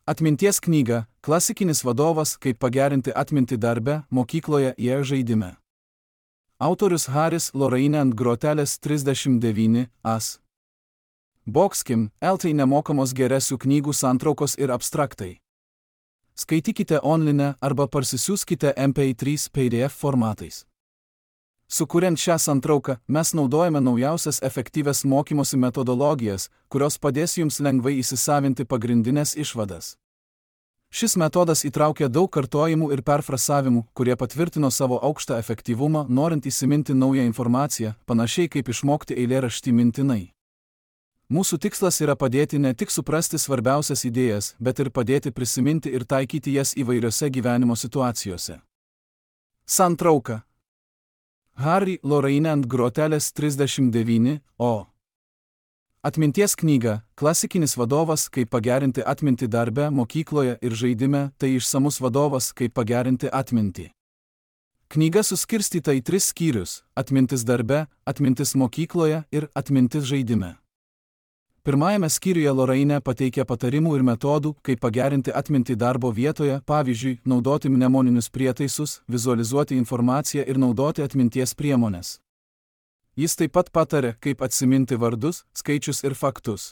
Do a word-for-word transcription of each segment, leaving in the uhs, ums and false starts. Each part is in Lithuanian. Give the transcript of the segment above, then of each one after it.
Atminties knyga – klasikinis vadovas, kaip pagerinti atmintį darbe, mokykloje ir žaidime. Autorius Haris Lorraine and Grotelis trisdešimt devyni as. Boxkim, eltai nemokamos geresių knygų santraukos ir abstraktai. Skaitykite online arba parsisiųskite M P trys P D F formatais. Sukuriant šią santrauką, mes naudojame naujausias efektyvias mokymosi metodologijas, kurios padės jums lengvai įsisavinti pagrindinės išvadas. Šis metodas įtraukia daug kartojimų ir perfrasavimų, kurie patvirtino savo aukštą efektyvumą, norint įsiminti naują informaciją, panašiai kaip išmokti eilėraštį mintinai. Mūsų tikslas yra padėti ne tik suprasti svarbiausias idėjas, bet ir padėti prisiminti ir taikyti jas įvairiose gyvenimo situacijose. Santrauka. Harry Lorraine and Grotelis trisdešimt devyni o. Atminties knyga – klasikinis vadovas, kaip pagerinti atmintį darbe, mokykloje ir žaidime, tai išsamus vadovas, kaip pagerinti atmintį. Knyga suskirstyta į tris skyrius – atmintis darbe, atmintis mokykloje ir atmintis žaidime. Pirmajame skyriuje Lorraine pateikia patarimų ir metodų, kaip pagerinti atmintį darbo vietoje, pavyzdžiui, naudoti mnemoninius prietaisus, vizualizuoti informaciją ir naudoti atminties priemones. Jis taip pat patarė, kaip atsiminti vardus, skaičius ir faktus.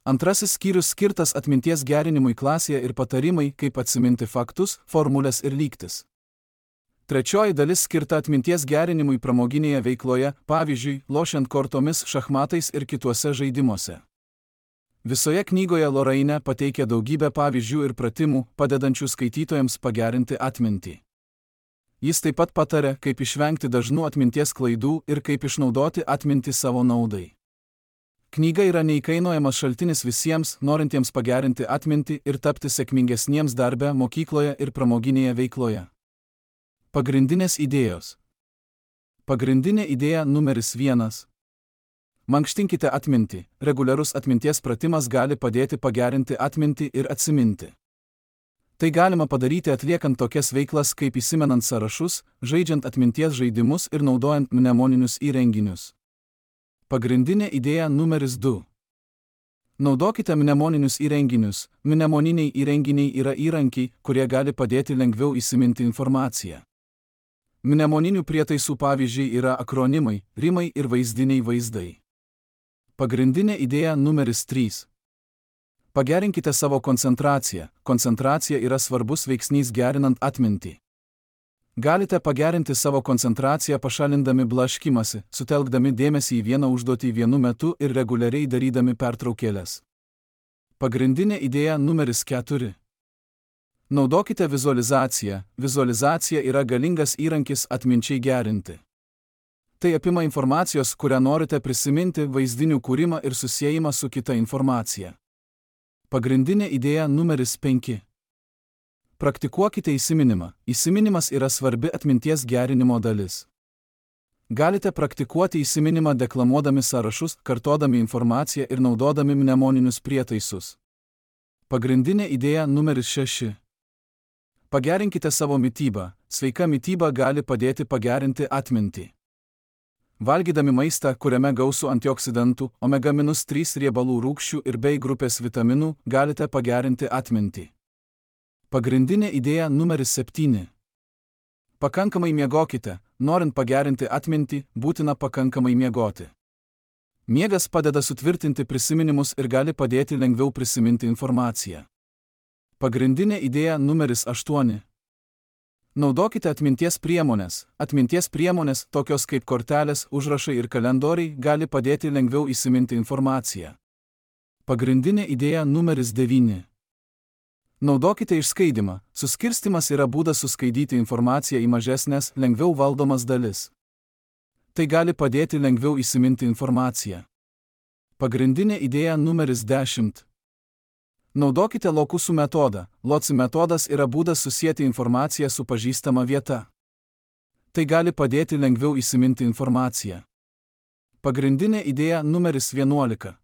Antrasis skyrius skirtas atminties gerinimui klasėje ir patarimai, kaip atsiminti faktus, formulės ir lygtis. Trečioji dalis skirta atminties gerinimui pramoginėje veikloje, pavyzdžiui, lošiant kortomis, šachmatais ir kituose žaidimuose. Visoje knygoje Lorraine pateikia daugybę pavyzdžių ir pratimų, padedančių skaitytojams pagerinti atmintį. Jis taip pat patarė, kaip išvengti dažnų atminties klaidų ir kaip išnaudoti atmintį savo naudai. Knyga yra neįkainojamas šaltinis visiems, norintiems pagerinti atmintį ir tapti sėkmingesniems darbe, mokykloje ir pramoginėje veikloje. Pagrindinės idėjos. Pagrindinė idėja numeris vienas. Mankštinkite atmintį. Reguliarus atminties pratimas gali padėti pagerinti atmintį ir atsiminti. Tai galima padaryti atliekant tokias veiklas kaip įsimenant sąrašus, žaidžiant atminties žaidimus ir naudojant mnemoninius įrenginius. Pagrindinė idėja numeris du. Naudokite mnemoninius įrenginius. Mnemoniniai įrenginiai yra įrankiai, kurie gali padėti lengviau įsiminti informaciją. Mnemoninių prietaisų pavyzdžiai yra akronimai, rimai ir vaizdiniai vaizdai. Pagrindinė idėja numeris trys. Pagerinkite savo koncentraciją. Koncentracija yra svarbus veiksnys gerinant atmintį. Galite pagerinti savo koncentraciją pašalindami blaškymąsi, sutelkdami dėmesį į vieną užduotį vienu metu ir reguliariai darydami pertraukėles. Pagrindinė idėja numeris keturi. Naudokite vizualizaciją. Vizualizacija yra galingas įrankis atminčiai gerinti. Tai apima informacijos, kurią norite prisiminti, vaizdinių kūrimą ir susiejimą su kita informacija. Pagrindinė idėja numeris penki. Praktikuokite įsiminimą. Įsiminimas yra svarbi atminties gerinimo dalis. Galite praktikuoti įsiminimą deklamuodami sąrašus, kartodami informaciją ir naudodami mnemoninius prietaisus. Pagrindinė idėja numeris šeši. Pagerinkite savo mitybą. Sveika mityba gali padėti pagerinti atmintį. Valgydami maistą, kuriame gausu antioksidantų, omega trys riebalų rūgščių ir B grupės vitaminų, galite pagerinti atmintį. Pagrindinė idėja numeris septyni. Pakankamai miegokite. Norint pagerinti atmintį, būtina pakankamai miegoti. Miegas padeda sutvirtinti prisiminimus ir gali padėti lengviau prisiminti informaciją. Pagrindinė idėja numeris aštuoni. Naudokite atminties priemones. Atminties priemonės, tokios kaip kortelės, užrašai ir kalendoriai, gali padėti lengviau įsiminti informaciją. Pagrindinė idėja numeris devyni. Naudokite išskaidymą. Suskirstymas yra būdas suskaidyti informaciją į mažesnės, lengviau valdomas dalis. Tai gali padėti lengviau įsiminti informaciją. Pagrindinė idėja numeris dešimt. Naudokite lokusų metodą. Loci metodas yra būdas susijęti informaciją su pažįstama vieta. Tai gali padėti lengviau įsiminti informaciją. Pagrindinė idėja numeris vienuolika.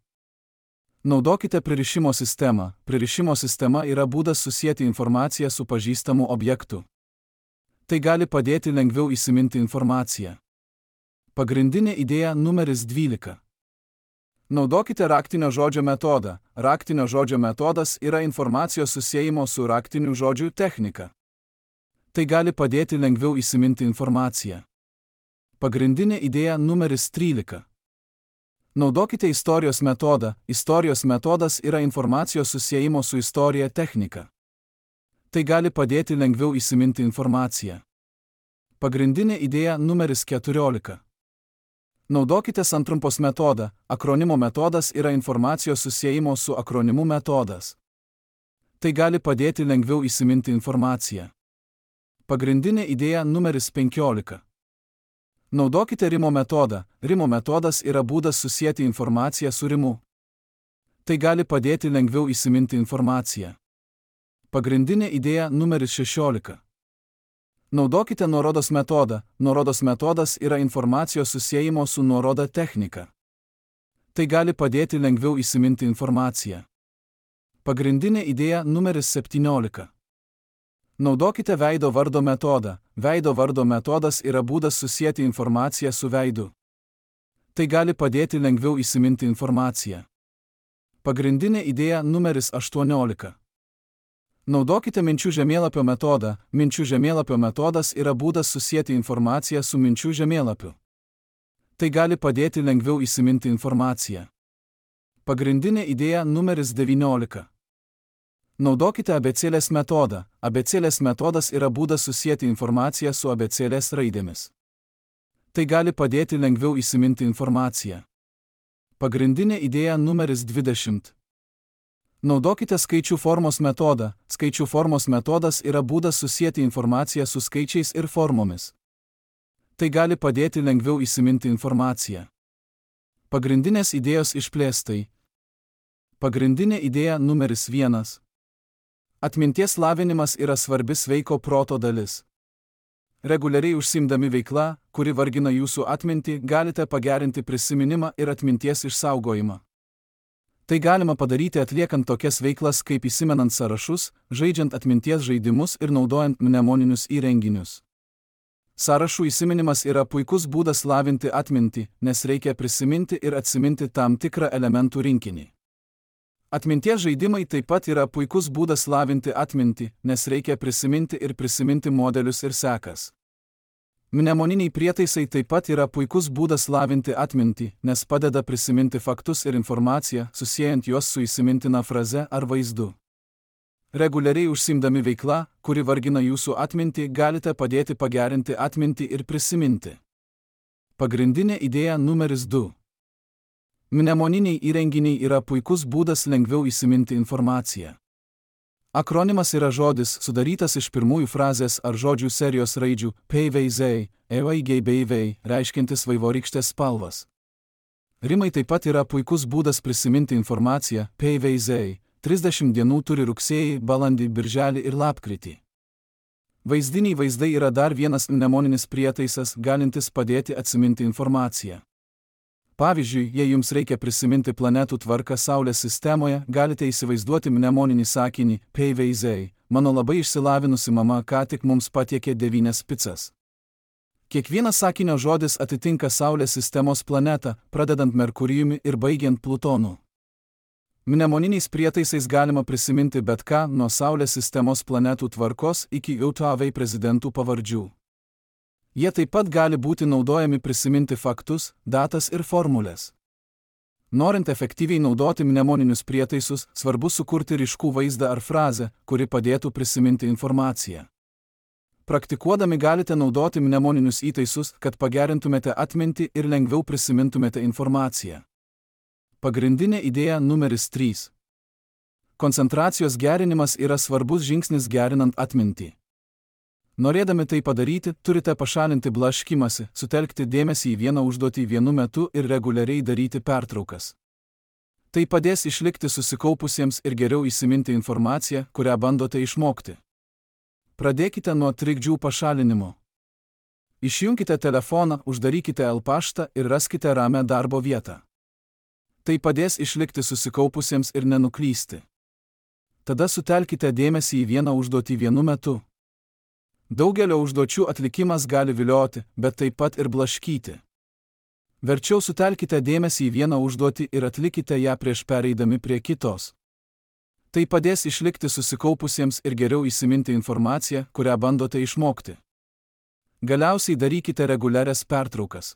Naudokite pririšimo sistemą. Pririšimo sistema yra būdas susijęti informaciją su pažįstamu objektu. Tai gali padėti lengviau įsiminti informaciją. Pagrindinė idėja numeris dvylika. Naudokite raktinio žodžio metodą. Raktinio žodžio metodas yra informacijos susiejimo su raktiniu žodžiu technika. Tai gali padėti lengviau įsiminti informaciją. Pagrindinė idėja numeris trylika. Naudokite istorijos metodą. Istorijos metodas yra informacijos susiejimo su istorija technika. Tai gali padėti lengviau įsiminti informaciją. Pagrindinė idėja numeris keturiolika. Naudokite santrumpos metodą. Akronimo metodas yra informacijos susiejimo su akronimu metodas. Tai gali padėti lengviau įsiminti informaciją. Pagrindinė idėja numeris penkiolika. Naudokite rimo metodą. Rimo metodas yra būdas susijęti informaciją su rimu. Tai gali padėti lengviau įsiminti informaciją. Pagrindinė idėja numeris šešiolika. Naudokite nuorodos metodą. Nuorodos metodas yra informacijos susiejimo su nuoroda technika. Tai gali padėti lengviau įsiminti informaciją. Pagrindinė idėja numeris septyniolika. Naudokite veido vardo metodą. Veido vardo metodas yra būdas susijęti informaciją su veidu. Tai gali padėti lengviau įsiminti informaciją. Pagrindinė idėja numeris aštuoniolika. Naudokite minčių žemėlapio metodą. Minčių žemėlapio metodas yra būdas susijęti informaciją su minčių žemėlapiu. Tai gali padėti lengviau įsiminti informaciją. Pagrindinė idėja numeris devyniolika. Naudokite abėcėlės metodą. Abėcėlės metodas yra būdas susijęti informaciją su abėcėlės raidėmis. Tai gali padėti lengviau įsiminti informaciją. Pagrindinė idėja numeris dvidešimt. Naudokite skaičių formos metodą. Skaičių formos metodas yra būdas susijęti informaciją su skaičiais ir formomis. Tai gali padėti lengviau įsiminti informaciją. Pagrindinės idėjos išplėstai. Pagrindinė idėja numeris vienas. Atminties lavinimas yra svarbi sveiko proto dalis. Reguliariai užsiimdami veikla, kuri vargina jūsų atmintį, galite pagerinti prisiminimą ir atminties išsaugojimą. Tai galima padaryti atliekant tokias veiklas kaip įsimenant sąrašus, žaidžiant atminties žaidimus ir naudojant mnemoninius įrenginius. Sąrašų įsiminimas yra puikus būdas lavinti atmintį, nes reikia prisiminti ir atsiminti tam tikrą elementų rinkinį. Atminties žaidimai taip pat yra puikus būdas lavinti atmintį, nes reikia prisiminti ir prisiminti modelius ir sekas. Mnemoniniai prietaisai taip pat yra puikus būdas lavinti atmintį, nes padeda prisiminti faktus ir informaciją, susijęjant juos su įsimintina fraze ar vaizdu. Reguliariai užsiimdami veikla, kuri vargina jūsų atmintį, galite padėti pagerinti atmintį ir prisiminti. Pagrindinė idėja numeris du. Mnemoniniai įrenginiai yra puikus būdas lengviau įsiminti informaciją. Akronimas yra žodis, sudarytas iš pirmųjų frazės ar žodžių serijos raidžių P V Z, E V G B V, reiškiantis vaivorykštės spalvas. Rimai taip pat yra puikus būdas prisiminti informaciją. P V Z trisdešimt dienų turi rugsėjį, balandį, birželį ir lapkritį. Vaizdiniai vaizdai yra dar vienas mnemoninis prietaisas, galintis padėti atsiminti informaciją. Pavyzdžiui, jei jums reikia prisiminti planetų tvarką Saulės sistemoje, galite įsivaizduoti mnemoninį sakinį P V Z. Mano labai išsilavinusi mama ką tik mums patiekė devynias picas. Kiekvienas sakinio žodis atitinka Saulės sistemos planetą, pradedant Merkurijumi ir baigiant Plutonu. Mnemoniniais prietaisais galima prisiminti bet ką, nuo Saulės sistemos planetų tvarkos iki U T V prezidentų pavardžių. Jie taip pat gali būti naudojami prisiminti faktus, datas ir formulės. Norint efektyviai naudoti mnemoninius prietaisus, svarbu sukurti ryškų vaizdą ar frazę, kuri padėtų prisiminti informaciją. Praktikuodami galite naudoti mnemoninius įtaisus, kad pagerintumėte atmintį ir lengviau prisimintumėte informaciją. Pagrindinė idėja numeris trys. Koncentracijos gerinimas yra svarbus žingsnis gerinant atmintį. Norėdami tai padaryti, turite pašalinti blaškymąsi, sutelkti dėmesį į vieną užduotį vienu metu ir reguliariai daryti pertraukas. Tai padės išlikti susikaupusiems ir geriau įsiminti informaciją, kurią bandote išmokti. Pradėkite nuo trikdžių pašalinimo. Išjunkite telefoną, uždarykite e-paštą ir raskite ramią darbo vietą. Tai padės išlikti susikaupusiems ir nenuklysti. Tada sutelkite dėmesį į vieną užduotį vienu metu. Daugelio užduočių atlikimas gali vilioti, bet taip pat ir blaškyti. Verčiau sutelkite dėmesį į vieną užduotį ir atlikite ją prieš pereidami prie kitos. Tai padės išlikti susikaupusiems ir geriau įsiminti informaciją, kurią bandote išmokti. Galiausiai darykite reguliarias pertraukas.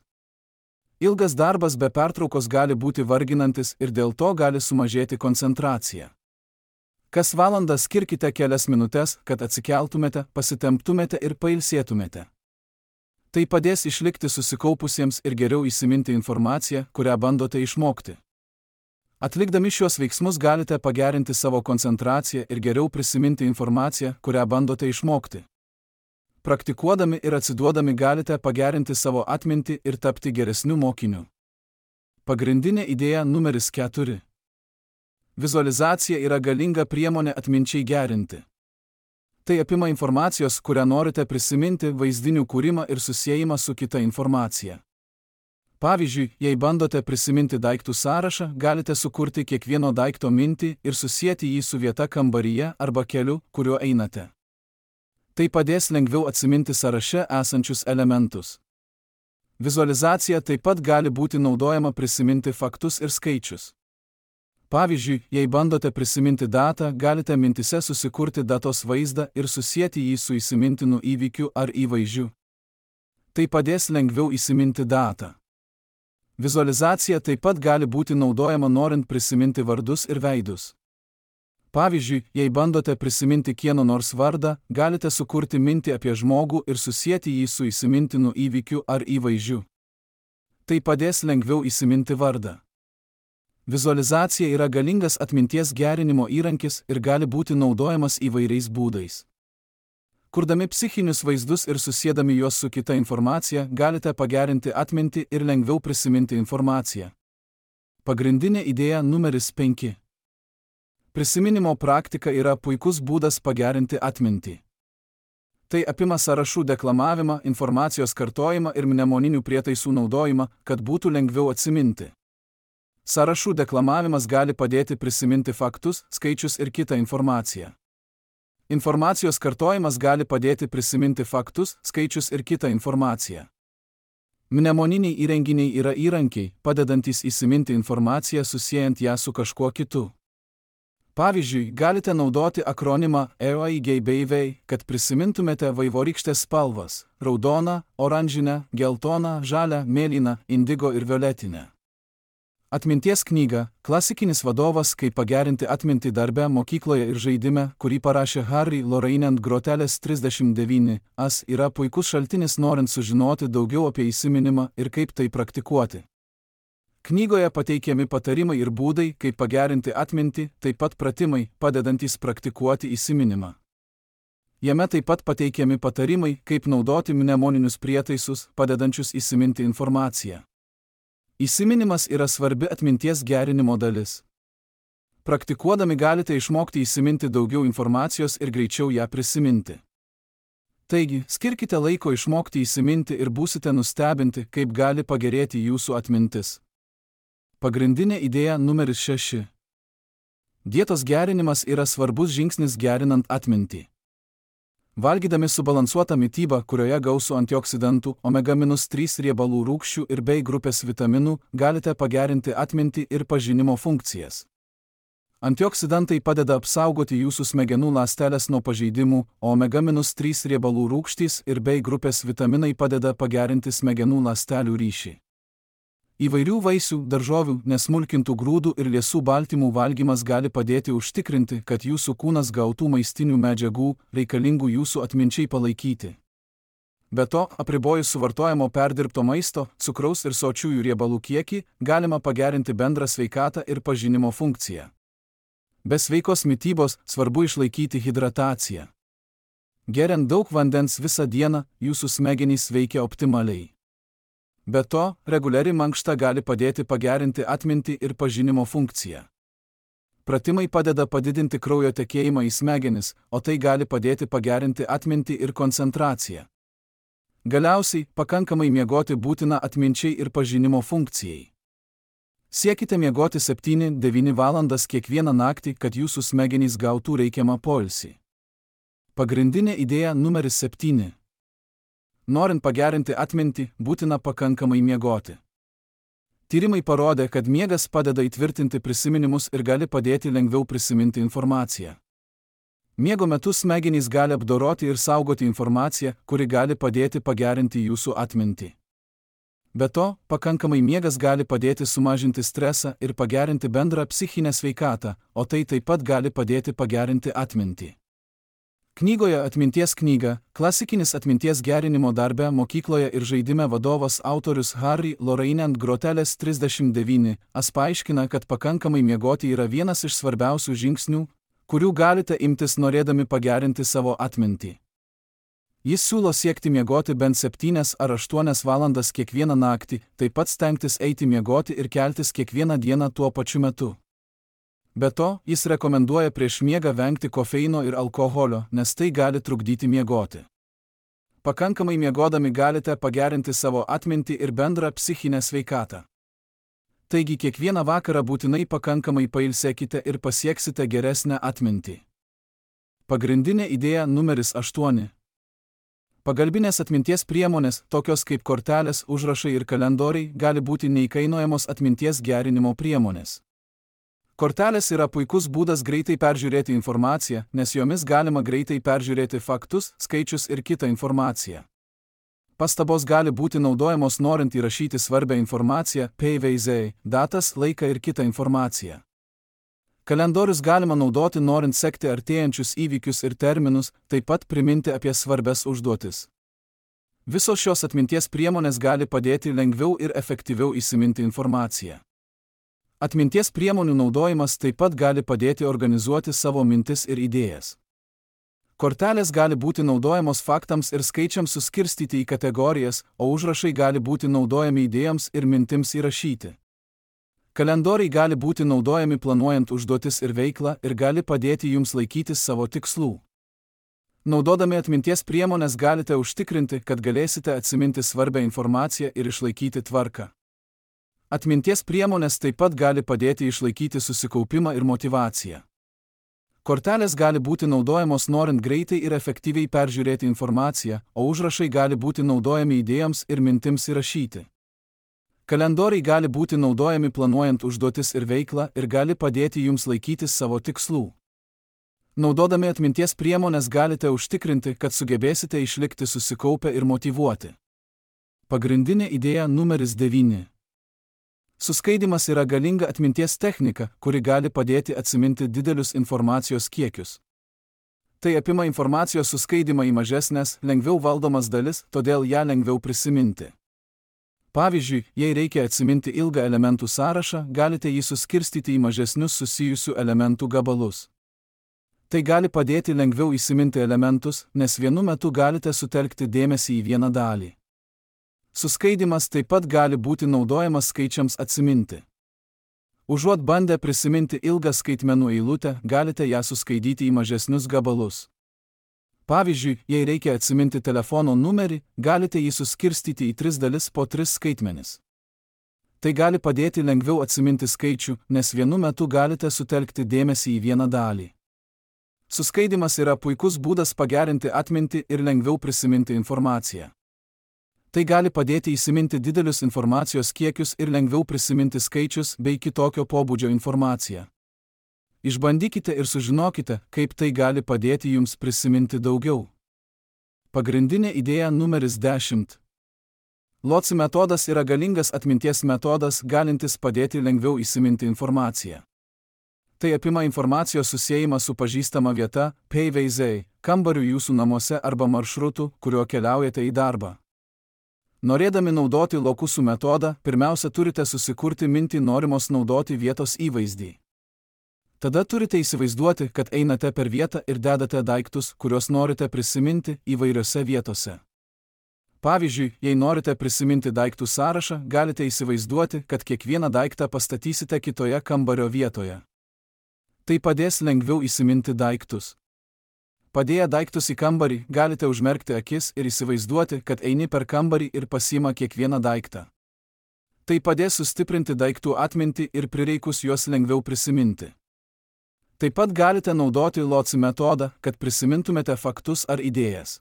Ilgas darbas be pertraukos gali būti varginantis ir dėl to gali sumažėti koncentracija. Kas valandą skirkite kelias minutes, kad atsikeltumėte, pasitemptumėte ir pailsėtumėte. Tai padės išlikti susikaupusiems ir geriau įsiminti informaciją, kurią bandote išmokti. Atlikdami šiuos veiksmus galite pagerinti savo koncentraciją ir geriau prisiminti informaciją, kurią bandote išmokti. Praktikuodami ir atsiduodami galite pagerinti savo atmintį ir tapti geresniu mokiniu. Pagrindinė idėja numeris keturi. Vizualizacija yra galinga priemonė atminčiai gerinti. Tai apima informacijos, kurią norite prisiminti, vaizdinių kūrimą ir susiejimą su kita informacija. Pavyzdžiui, jei bandote prisiminti daiktų sąrašą, galite sukurti kiekvieno daikto mintį ir susieti jį su vieta kambaryje arba keliu, kuriuo einate. Tai padės lengviau atsiminti sąraše esančius elementus. Vizualizacija taip pat gali būti naudojama prisiminti faktus ir skaičius. Pavyzdžiui, jei bandote prisiminti datą, galite mintise susikurti datos vaizdą ir susieti jį su įsimintinu įvykiu ar įvaizdžiu. Tai padės lengviau įsiminti datą. Vizualizacija taip pat gali būti naudojama norint prisiminti vardus ir veidus. Pavyzdžiui, jei bandote prisiminti kieno nors vardą, galite sukurti mintį apie žmogų ir susieti jį su įsimintinu įvykiu ar įvaizdžiu. Tai padės lengviau įsiminti vardą. Vizualizacija yra galingas atminties gerinimo įrankis ir gali būti naudojamas įvairiais būdais. Kurdami psichinius vaizdus ir susiedami juos su kita informacija, galite pagerinti atmintį ir lengviau prisiminti informaciją. Pagrindinė idėja numeris penki. Prisiminimo praktika yra puikus būdas pagerinti atmintį. Tai apima sąrašų deklamavimą, informacijos kartojimą ir mnemoninių prietaisų naudojimą, kad būtų lengviau atsiminti. Sąrašų deklamavimas gali padėti prisiminti faktus, skaičius ir kitą informaciją. Informacijos kartojimas gali padėti prisiminti faktus, skaičius ir kitą informaciją. Mnemoniniai įrenginiai yra įrankiai, padedantys įsiminti informaciją susiejant ją su kažkuo kitu. Pavyzdžiui, galite naudoti akronimą E O I G B V, kad prisimintumėte vaivorykštės spalvas – raudoną, oranžinę, geltoną, žalią, mėlyną, indigo ir violetinę. Atminties knyga Klasikinis vadovas, kaip pagerinti atmintį darbe, mokykloje ir žaidime, kurį parašė Harry Lorraine and Grotelis trisdešimt devyni as, yra puikus šaltinis norint sužinoti daugiau apie įsiminimą ir kaip tai praktikuoti. Knygoje pateikiami patarimai ir būdai, kaip pagerinti atmintį, taip pat pratimai, padedantys praktikuoti įsiminimą. Jame taip pat pateikiami patarimai, kaip naudoti mnemoninius prietaisus, padedančius įsiminti informaciją. Įsiminimas yra svarbi atminties gerinimo dalis. Praktikuodami galite išmokti įsiminti daugiau informacijos ir greičiau ją prisiminti. Taigi, skirkite laiko išmokti įsiminti ir būsite nustebinti, kaip gali pagerėti jūsų atmintis. Pagrindinė idėja numeris šeši. Dietos gerinimas yra svarbus žingsnis gerinant atmintį. Valgydami subalansuotą mitybą, kurioje gausu antioksidantų, omega trys riebalų rūgščių ir B grupės vitaminų, galite pagerinti atmintį ir pažinimo funkcijas. Antioksidantai padeda apsaugoti jūsų smegenų ląsteles nuo pažeidimų, o omega trys riebalų rūgštys ir B grupės vitaminai padeda pagerinti smegenų ląstelių ryšį. Įvairių vaisių, daržovių, nesmulkintų grūdų ir liesų baltymų valgymas gali padėti užtikrinti, kad jūsų kūnas gautų maistinių medžiagų, reikalingų jūsų atminčiai palaikyti. Be to, apribojus suvartojamo perdirbto maisto, cukraus ir sočiųjų riebalų kiekį, galima pagerinti bendrą sveikatą ir pažinimo funkciją. Be sveikos mitybos svarbu išlaikyti hidrataciją. Geriant daug vandens visą dieną, jūsų smegenys veikia optimaliai. Be to, reguliari mankšta gali padėti pagerinti atmintį ir pažinimo funkciją. Pratimai padeda padidinti kraujo tekėjimą į smegenis, o tai gali padėti pagerinti atmintį ir koncentraciją. Galiausiai, pakankamai miegoti būtina atminčiai ir pažinimo funkcijai. Siekite miegoti septynias devynias valandas kiekvieną naktį, kad jūsų smegenys gautų reikiamą poilsį. Pagrindinė idėja numeris septyni. Norint pagerinti atmintį, būtina pakankamai miegoti. Tyrimai parodė, kad miegas padeda įtvirtinti prisiminimus ir gali padėti lengviau prisiminti informaciją. Miego metu smegenys gali apdoroti ir saugoti informaciją, kuri gali padėti pagerinti jūsų atmintį. Be to, pakankamai miegas gali padėti sumažinti stresą ir pagerinti bendrą psichinę sveikatą, o tai taip pat gali padėti pagerinti atmintį. Knygoje Atminties knyga, klasikinis atminties gerinimo darbe, mokykloje ir žaidime vadovas autorius Harry Lorraine and Grotelis trisdešimt devyni as paaiškina, kad pakankamai miegoti yra vienas iš svarbiausių žingsnių, kurių galite imtis norėdami pagerinti savo atmintį. Jis siūlo siekti miegoti bent septynias ar aštuonias valandas kiekvieną naktį, taip pat stengtis eiti miegoti ir keltis kiekvieną dieną tuo pačiu metu. Be to, jis rekomenduoja prieš miegą vengti kofeino ir alkoholio, nes tai gali trukdyti miegoti. Pakankamai miegodami galite pagerinti savo atmintį ir bendrą psichinę sveikatą. Taigi kiekvieną vakarą būtinai pakankamai pailsėkite ir pasieksite geresnę atmintį. Pagrindinė idėja numeris aštuoni. Pagalbinės atminties priemonės, tokios kaip kortelės, užrašai ir kalendoriai, gali būti neįkainojamos atminties gerinimo priemonės. Kortelės yra puikus būdas greitai peržiūrėti informaciją, nes jomis galima greitai peržiūrėti faktus, skaičius ir kitą informaciją. Pastabos gali būti naudojamos norint įrašyti svarbią informaciją, pavyzdžiui, datas, laiką ir kitą informaciją. Kalendorius galima naudoti norint sekti artėjančius įvykius ir terminus, taip pat priminti apie svarbias užduotis. Visos šios atminties priemonės gali padėti lengviau ir efektyviau įsiminti informaciją. Atminties priemonių naudojimas taip pat gali padėti organizuoti savo mintis ir idėjas. Kortelės gali būti naudojamos faktams ir skaičiams suskirstyti į kategorijas, o užrašai gali būti naudojami idėjoms ir mintims įrašyti. Kalendoriai gali būti naudojami planuojant užduotis ir veiklą ir gali padėti jums laikytis savo tikslų. Naudodami atminties priemonės galite užtikrinti, kad galėsite atsiminti svarbią informaciją ir išlaikyti tvarką. Atminties priemonės taip pat gali padėti išlaikyti susikaupimą ir motyvaciją. Kortelės gali būti naudojamos norint greitai ir efektyviai peržiūrėti informaciją, o užrašai gali būti naudojami idėjoms ir mintims įrašyti. Kalendoriai gali būti naudojami planuojant užduotis ir veiklą ir gali padėti jums laikytis savo tikslų. Naudodami atminties priemonės galite užtikrinti, kad sugebėsite išlikti susikaupę ir motyvuoti. Pagrindinė idėja numeris devyni. Suskaidimas yra galinga atminties technika, kuri gali padėti atsiminti didelius informacijos kiekius. Tai apima informacijos suskaidimą į mažesnės, lengviau valdomas dalis, todėl ją lengviau prisiminti. Pavyzdžiui, jei reikia atsiminti ilgą elementų sąrašą, galite jį suskirstyti į mažesnius susijusių elementų gabalus. Tai gali padėti lengviau įsiminti elementus, nes vienu metu galite sutelkti dėmesį į vieną dalį. Suskaidimas taip pat gali būti naudojamas skaičiams atsiminti. Užuot bandę prisiminti ilgą skaitmenų eilutę, galite ją suskaidyti į mažesnius gabalus. Pavyzdžiui, jei reikia atsiminti telefono numerį, galite jį suskirstyti į tris dalis po tris skaitmenis. Tai gali padėti lengviau atsiminti skaičių, nes vienu metu galite sutelkti dėmesį į vieną dalį. Suskaidimas yra puikus būdas pagerinti atmintį ir lengviau prisiminti informaciją. Tai gali padėti įsiminti didelius informacijos kiekius ir lengviau prisiminti skaičius bei kitokio pobūdžio informaciją. Išbandykite ir sužinokite, kaip tai gali padėti jums prisiminti daugiau. Pagrindinė idėja numeris dešimt. Lotsi metodas yra galingas atminties metodas, galintis padėti lengviau įsiminti informaciją. Tai apima informacijos susiejimą su pažįstama vieta, pavyzdžiui, kambariu jūsų namuose arba maršrutu, kuriuo keliaujate į darbą. Norėdami naudoti lokusų metodą, pirmiausia turite susikurti mintį norimos naudoti vietos įvaizdį. Tada turite įsivaizduoti, kad einate per vietą ir dedate daiktus, kuriuos norite prisiminti įvairiose vietose. Pavyzdžiui, jei norite prisiminti daiktų sąrašą, galite įsivaizduoti, kad kiekvieną daiktą pastatysite kitoje kambario vietoje. Tai padės lengviau įsiminti daiktus. Padėję daiktus į kambarį, galite užmerkti akis ir įsivaizduoti, kad eini per kambarį ir pasiima kiekvieną daiktą. Tai padės sustiprinti daiktų atmintį ir prireikus juos lengviau prisiminti. Taip pat galite naudoti Lotsi metodą, kad prisimintumėte faktus ar idėjas.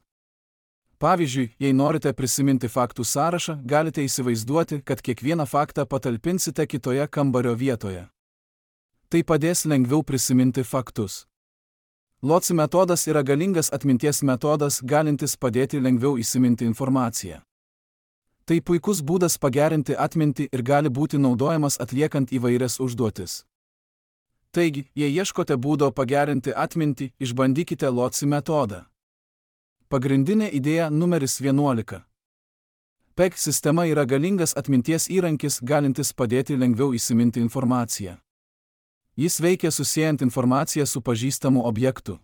Pavyzdžiui, jei norite prisiminti faktų sąrašą, galite įsivaizduoti, kad kiekvieną faktą patalpinsite kitoje kambario vietoje. Tai padės lengviau prisiminti faktus. Loci metodas yra galingas atminties metodas, galintis padėti lengviau įsiminti informaciją. Tai puikus būdas pagerinti atmintį ir gali būti naudojamas atliekant įvairias užduotis. Taigi, jei ieškote būdo pagerinti atmintį, išbandykite Loci metodą. Pagrindinė idėja numeris vienuolika. P E G sistema yra galingas atminties įrankis, galintis padėti lengviau įsiminti informaciją. Jis veikia susiejant informaciją su pažįstamu objektu.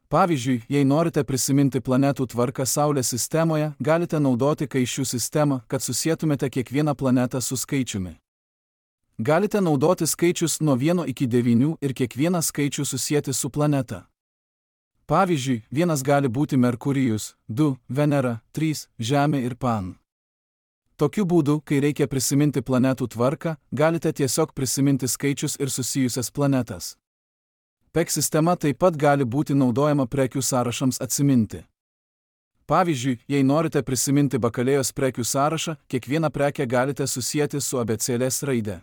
Pavyzdžiui, jei norite prisiminti planetų tvarką Saulės sistemoje, galite naudoti kaišių sistemą, kad susietumėte kiekvieną planetą su skaičiumi. Galite naudoti skaičius nuo vieno iki devynių ir kiekvieną skaičių susieti su planeta. Pavyzdžiui, vienas gali būti Merkurijus, du – Venera, trys – Žemė ir Pan. Tokiu būdu, kai reikia prisiminti planetų tvarką, galite tiesiog prisiminti skaičius ir susijusias planetas. P E G sistema taip pat gali būti naudojama prekių sąrašams atsiminti. Pavyzdžiui, jei norite prisiminti bakalėjos prekių sąrašą, kiekvieną prekę galite susieti su abėcėlės raide.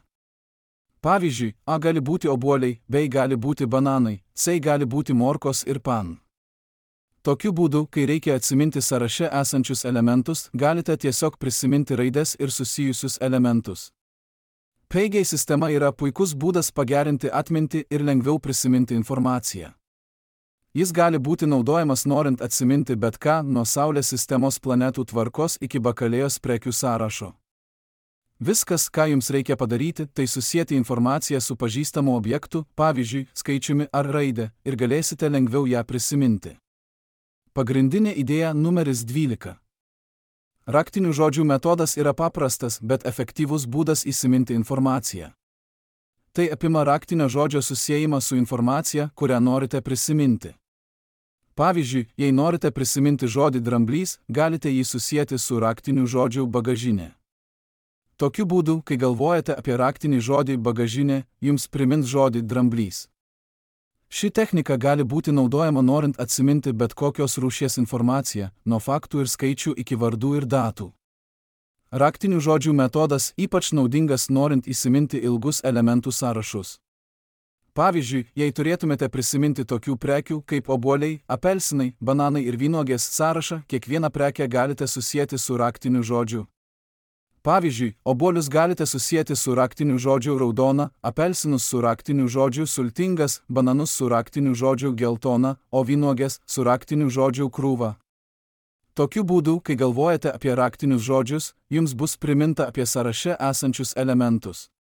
Pavyzdžiui, A gali būti obuoliai, B gali būti bananai, C gali būti morkos ir pan. Tokiu būdu, kai reikia atsiminti sąraše esančius elementus, galite tiesiog prisiminti raides ir susijusius elementus. P E G sistema yra puikus būdas pagerinti atmintį ir lengviau prisiminti informaciją. Jis gali būti naudojamas norint atsiminti bet ką nuo Saulės sistemos planetų tvarkos iki bakalėjos prekių sąrašo. Viskas, ką jums reikia padaryti, tai susieti informaciją su pažįstamu objektu, pavyzdžiui, skaičiumi ar raide, ir galėsite lengviau ją prisiminti. Pagrindinė idėja numeris dvylika. Raktinių žodžių metodas yra paprastas, bet efektyvus būdas įsiminti informaciją. Tai apima raktinio žodžio susiejimą su informacija, kurią norite prisiminti. Pavyzdžiui, jei norite prisiminti žodį dramblys, galite jį susieti su raktiniu žodžiu bagažinė. Tokiu būdu, kai galvojate apie raktinį žodį bagažinė, jums primins žodį dramblys. Ši technika gali būti naudojama norint atsiminti bet kokios rūšies informaciją, nuo faktų ir skaičių iki vardų ir datų. Raktinių žodžių metodas ypač naudingas norint įsiminti ilgus elementų sąrašus. Pavyzdžiui, jei turėtumėte prisiminti tokių prekių kaip obuoliai, apelsinai, bananai ir vynuogės sąrašą, kiekvieną prekę galite susieti su raktiniu žodžiu. Pavyzdžiui, obuolius galite susieti su raktiniu žodžiu raudona, apelsinus su raktiniu žodžiu sultingas, bananus su raktiniu žodžiu geltona, o vynuogės su raktiniu žodžiu krūva. Tokiu būdu, kai galvojate apie raktinius žodžius, jums bus priminta apie sąraše esančius elementus.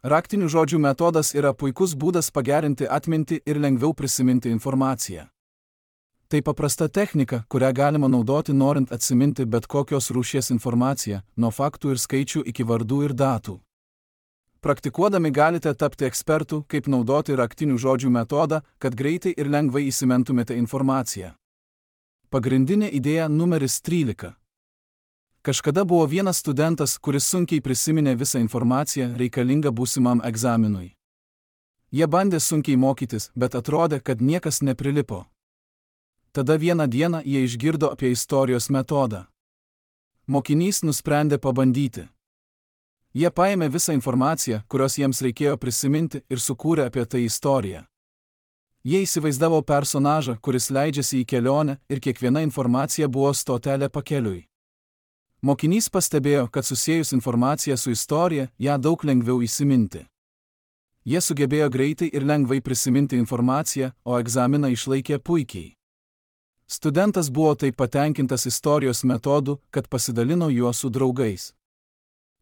Raktinių žodžių metodas yra puikus būdas pagerinti atmintį ir lengviau prisiminti informaciją. Tai paprasta technika, kurią galima naudoti norint atsiminti bet kokios rūšies informaciją, nuo faktų ir skaičių iki vardų ir datų. Praktikuodami galite tapti ekspertų, kaip naudoti raktinių žodžių metodą, kad greitai ir lengvai įsimintumėte informaciją. Pagrindinė idėja numeris trylika. Kažkada buvo vienas studentas, kuris sunkiai prisiminė visą informaciją reikalingą būsimam egzaminui. Jie bandė sunkiai mokytis, bet atrodė, kad niekas neprilipo. Tada vieną dieną jie išgirdo apie istorijos metodą. Mokinys nusprendė pabandyti. Jie paėmė visą informaciją, kurios jiems reikėjo prisiminti, ir sukūrė apie tai istoriją. Jie įsivaizdavo personažą, kuris leidžiasi į kelionę, ir kiekviena informacija buvo stotelė pakeliui. Mokinys pastebėjo, kad susiejus informaciją su istorija, ją daug lengviau įsiminti. Jie sugebėjo greitai ir lengvai prisiminti informaciją, o egzaminą išlaikė puikiai. Studentas buvo taip patenkintas istorijos metodu, kad pasidalino juo su draugais.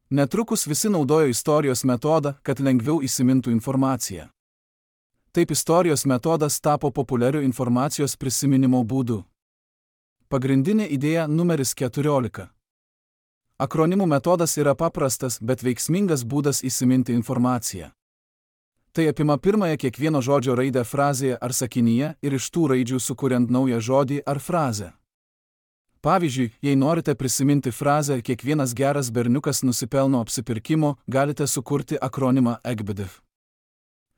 Netrukus visi naudojo istorijos metodą, kad lengviau įsimintų informaciją. Taip istorijos metodas tapo populiariu informacijos prisiminimo būdu. Pagrindinė idėja numeris keturiolika. Akronimų metodas yra paprastas, bet veiksmingas būdas įsiminti informaciją. Tai apima pirmąją kiekvieno žodžio raidę frazėje ar sakinyje ir iš tų raidžių sukuriant naują žodį ar frazę. Pavyzdžiui, jei norite prisiminti frazę "kiekvienas geras berniukas nusipelno apsipirkimo", galite sukurti akronimą E G B D F.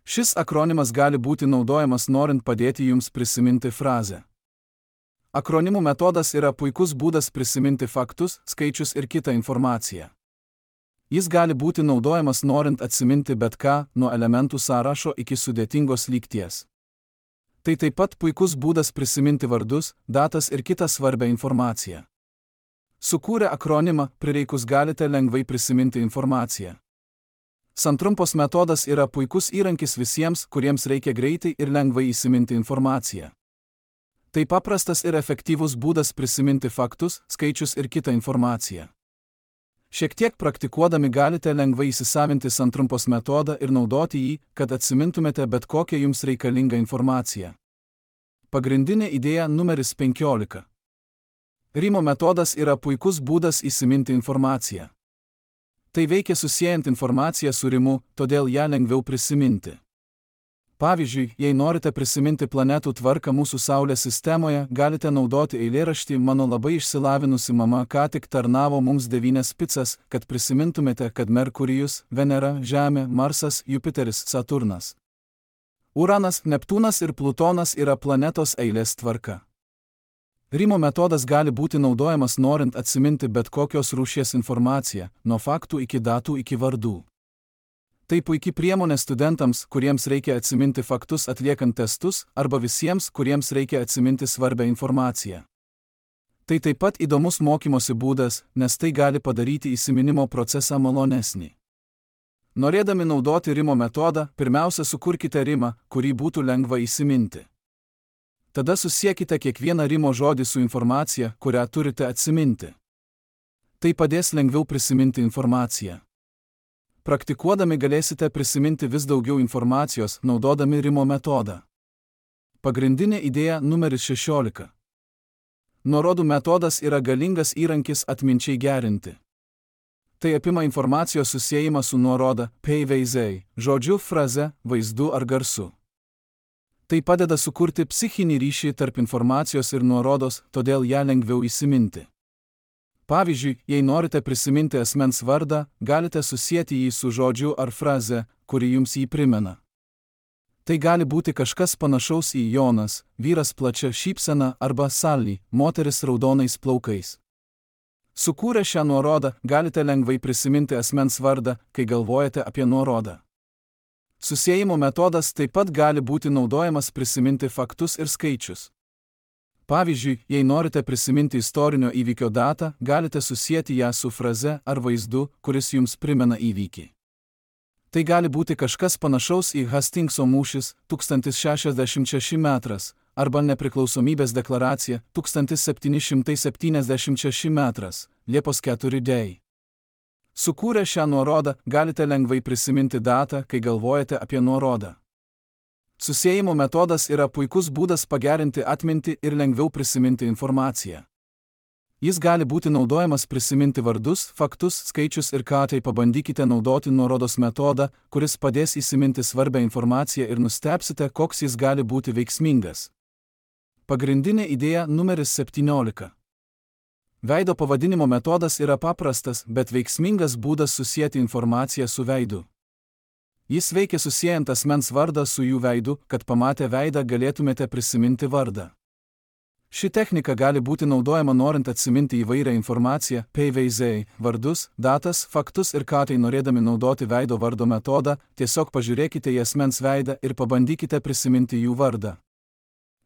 Šis akronimas gali būti naudojamas norint padėti jums prisiminti frazę. Akronimų metodas yra puikus būdas prisiminti faktus, skaičius ir kitą informaciją. Jis gali būti naudojamas norint atsiminti bet ką, nuo elementų sąrašo iki sudėtingos lygties. Tai taip pat puikus būdas prisiminti vardus, datas ir kitą svarbią informaciją. Sukūrę akronimą, prireikus galite lengvai prisiminti informaciją. Santrumpos metodas yra puikus įrankis visiems, kuriems reikia greitai ir lengvai įsiminti informaciją. Tai paprastas ir efektyvus būdas prisiminti faktus, skaičius ir kitą informaciją. Šiek tiek praktikuodami galite lengvai įsisavinti santrumpos metodą ir naudoti jį, kad atsimintumėte bet kokią jums reikalingą informaciją. Pagrindinė idėja numeris penkiolika. Rimo metodas yra puikus būdas įsiminti informaciją. Tai veikia susiejant informaciją su rimu, todėl ją lengviau prisiminti. Pavyzdžiui, jei norite prisiminti planetų tvarką mūsų Saulės sistemoje, galite naudoti eilėraštį "Mano labai išsilavinusi mama ką tik tarnavo mums devynias picas", kad prisimintumėte, kad Merkurijus, Venera, Žemė, Marsas, Jupiteris, Saturnas, Uranas, Neptūnas ir Plutonas yra planetos eilės tvarka. Rimo metodas gali būti naudojamas norint atsiminti bet kokios rūšies informaciją, nuo faktų iki datų iki vardų. Tai puikiai priemonė studentams, kuriems reikia atsiminti faktus atliekant testus, arba visiems, kuriems reikia atsiminti svarbią informaciją. Tai taip pat įdomus mokymosi būdas, nes tai gali padaryti įsiminimo procesą malonesnį. Norėdami naudoti rimo metodą, pirmiausia sukurkite rimą, kurį būtų lengva įsiminti. Tada susiekite kiekvieną rimo žodį su informacija, kurią turite atsiminti. Tai padės lengviau prisiminti informaciją. Praktikuodami galėsite prisiminti vis daugiau informacijos, naudodami rimo metodą. Pagrindinė idėja numeris šešiolika. Nuorodų metodas yra galingas įrankis atminčiai gerinti. Tai apima informacijos susiejimą su nuoroda, peiveizei, žodžiu, fraze, vaizdu ar garsu. Tai padeda sukurti psichinį ryšį tarp informacijos ir nuorodos, todėl ją lengviau įsiminti. Pavyzdžiui, jei norite prisiminti asmens vardą, galite susieti jį su žodžiu ar fraze, kuri jums jį primena. Tai gali būti kažkas panašaus į Jonas, vyras plačia šypsena, arba Sally, moteris raudonais plaukais. Sukūrę šią nuorodą, galite lengvai prisiminti asmens vardą, kai galvojate apie nuorodą. Susiejimo metodas taip pat gali būti naudojamas prisiminti faktus ir skaičius. Pavyzdžiui, jei norite prisiminti istorinio įvykio datą, galite susieti ją su fraze ar vaizdu, kuris jums primena įvykį. Tai gali būti kažkas panašaus į Hastingso mūšis tūkstantis šešiasdešimt šeši metras arba nepriklausomybės deklaracija tūkstantis septyni šimtai septyniasdešimt šeši metras, Liepos ketvirta diena. Sukūrę šią nuorodą, galite lengvai prisiminti datą, kai galvojate apie nuorodą. Susiejimo metodas yra puikus būdas pagerinti atmintį ir lengviau prisiminti informaciją. Jis gali būti naudojamas prisiminti vardus, faktus, skaičius ir ką tai pabandykite naudoti nuorodos metodą, kuris padės įsiminti svarbią informaciją ir nustebsite, koks jis gali būti veiksmingas. Pagrindinė idėja numeris septyniolika. Veido pavadinimo metodas yra paprastas, bet veiksmingas būdas susieti informaciją su veidu. Jis veikia susiejant asmens vardą su jų veidu, kad pamatę veidą galėtumėte prisiminti vardą. Ši technika gali būti naudojama norint atsiminti įvairią informaciją, peiveizei, vardus, datas, faktus ir ką tai norėdami naudoti veido vardo metodą, tiesiog pažiūrėkite į asmens veidą ir pabandykite prisiminti jų vardą.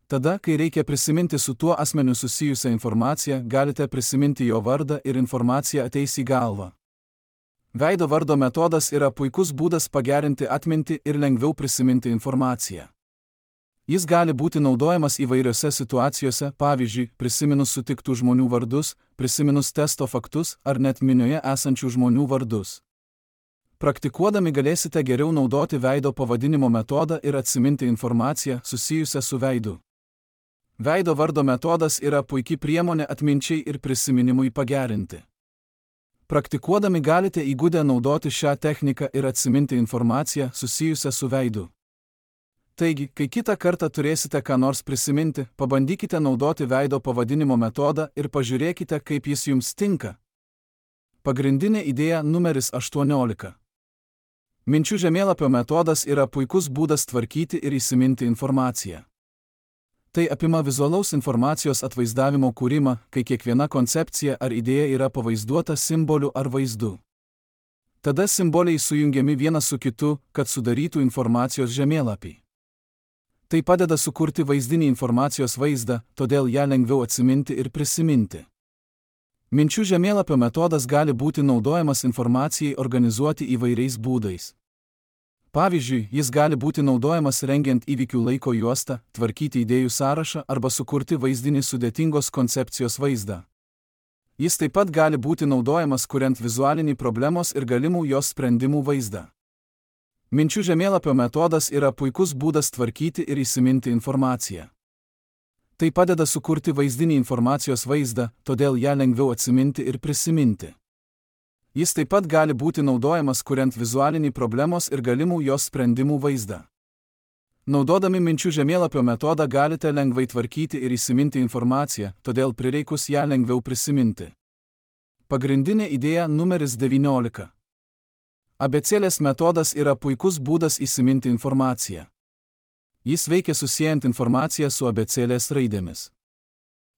Tada, kai reikia prisiminti su tuo asmeniu susijusią informaciją, galite prisiminti jo vardą ir informacija ateis į galvą. Veido vardo metodas yra puikus būdas pagerinti atmintį ir lengviau prisiminti informaciją. Jis gali būti naudojamas įvairiose situacijose, pavyzdžiui, prisiminus sutiktų žmonių vardus, prisiminus testo faktus ar net minioje esančių žmonių vardus. Praktikuodami galėsite geriau naudoti veido pavadinimo metodą ir atsiminti informaciją susijusią su veidu. Veido vardo metodas yra puikiai priemonė atminčiai ir prisiminimui pagerinti. Praktikuodami galite įgudę naudoti šią techniką ir atsiminti informaciją susijusią su veidu. Taigi, kai kitą kartą turėsite ką nors prisiminti, pabandykite naudoti veido pavadinimo metodą ir pažiūrėkite, kaip jis jums tinka. Pagrindinė idėja numeris aštuoniolika. Minčių žemėlapio metodas yra puikus būdas tvarkyti ir įsiminti informaciją. Tai apima vizualaus informacijos atvaizdavimo kūrimą, kai kiekviena koncepcija ar idėja yra pavaizduota simboliu ar vaizdu. Tada simboliai sujungiami vienas su kitu, kad sudarytų informacijos žemėlapį. Tai padeda sukurti vaizdinį informacijos vaizdą, todėl ją lengviau atsiminti ir prisiminti. Minčių žemėlapio metodas gali būti naudojamas informacijai organizuoti įvairiais būdais. Pavyzdžiui, jis gali būti naudojamas rengiant įvykių laiko juostą, tvarkyti idėjų sąrašą arba sukurti vaizdinį sudėtingos koncepcijos vaizdą. Jis taip pat gali būti naudojamas kuriant vizualinį problemos ir galimų jos sprendimų vaizdą. Minčių žemėlapio metodas yra puikus būdas tvarkyti ir įsiminti informaciją. Tai padeda sukurti vaizdinį informacijos vaizdą, todėl ją lengviau atsiminti ir prisiminti. Jis taip pat gali būti naudojamas kuriant vizualinį problemos ir galimų jos sprendimų vaizdą. Naudodami minčių žemėlapio metodą galite lengvai tvarkyti ir įsiminti informaciją, todėl prireikus ją lengviau prisiminti. Pagrindinė idėja numeris devyniolika. Abėcėlės metodas yra puikus būdas įsiminti informaciją. Jis veikia susiejant informaciją su abėcėlės raidėmis.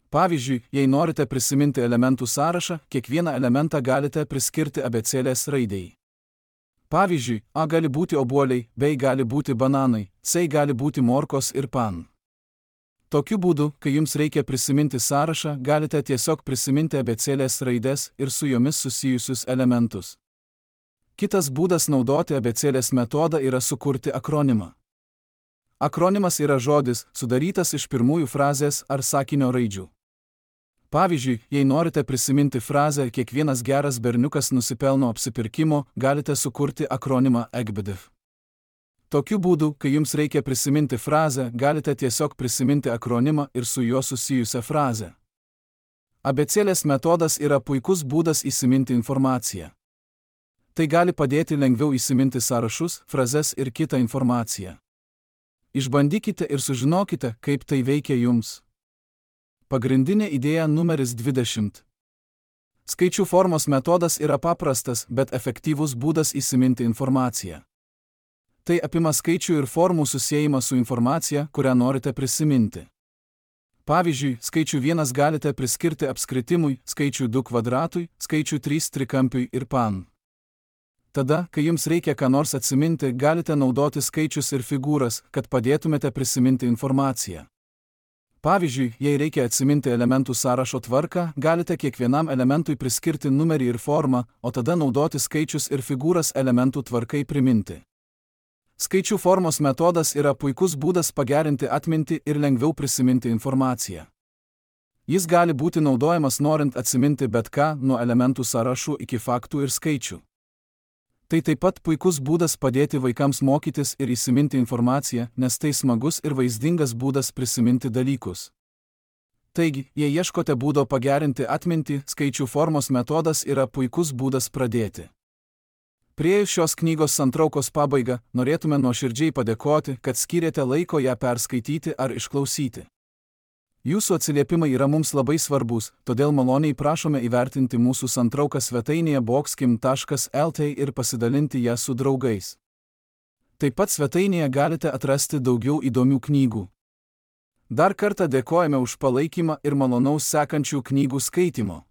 Pavyzdžiui, jei norite prisiminti elementų sąrašą, kiekvieną elementą galite priskirti abėcėlės raidei. Pavyzdžiui, A gali būti obuoliai, B gali būti bananai, C gali būti morkos ir pan. Tokiu būdu, kai jums reikia prisiminti sąrašą, galite tiesiog prisiminti abėcėlės raides ir su jomis susijusius elementus. Kitas būdas naudoti abėcėlės metodą yra sukurti akronimą. Akronimas yra žodis, sudarytas iš pirmųjų frazės ar sakinio raidžių. Pavyzdžiui, jei norite prisiminti frazę kiekvienas geras berniukas nusipelno apsipirkimo, galite sukurti akronimą E G B D F. Tokiu būdu, kai jums reikia prisiminti frazę, galite tiesiog prisiminti akronimą ir su juo susijusią frazę. Abėcėlės metodas yra puikus būdas įsiminti informaciją. Tai gali padėti lengviau įsiminti sąrašus, frazes ir kitą informaciją. Išbandykite ir sužinokite, kaip tai veikia jums. Pagrindinė idėja numeris dvidešimt. Skaičių formos metodas yra paprastas, bet efektyvus būdas įsiminti informaciją. Tai apima skaičių ir formų susiejimą su informacija, kurią norite prisiminti. Pavyzdžiui, skaičių vienas galite priskirti apskritimui, skaičių du kvadratui, skaičių trys trikampiui ir pan. Tada, kai jums reikia ką nors atsiminti, galite naudoti skaičius ir figūras, kad padėtumėte prisiminti informaciją. Pavyzdžiui, jei reikia atsiminti elementų sąrašo tvarką, galite kiekvienam elementui priskirti numerį ir formą, o tada naudoti skaičius ir figūras elementų tvarkai priminti. Skaičių formos metodas yra puikus būdas pagerinti atmintį ir lengviau prisiminti informaciją. Jis gali būti naudojamas norint atsiminti bet ką, nuo elementų sąrašų iki faktų ir skaičių. Tai taip pat puikus būdas padėti vaikams mokytis ir įsiminti informaciją, nes tai smagus ir vaizdingas būdas prisiminti dalykus. Taigi, jei ieškote būdo pagerinti atmintį, skaičių formos metodas yra puikus būdas pradėti. Priėjus šios knygos santraukos pabaigą, norėtume nuoširdžiai padėkoti, kad skyrėte laiko ją perskaityti ar išklausyti. Jūsų atsiliepimai yra mums labai svarbus, todėl maloniai prašome įvertinti mūsų santrauką svetainėje boxkim taškas el t ir pasidalinti ją su draugais. Taip pat svetainėje galite atrasti daugiau įdomių knygų. Dar kartą dėkojame už palaikymą ir malonaus sekančių knygų skaitimo.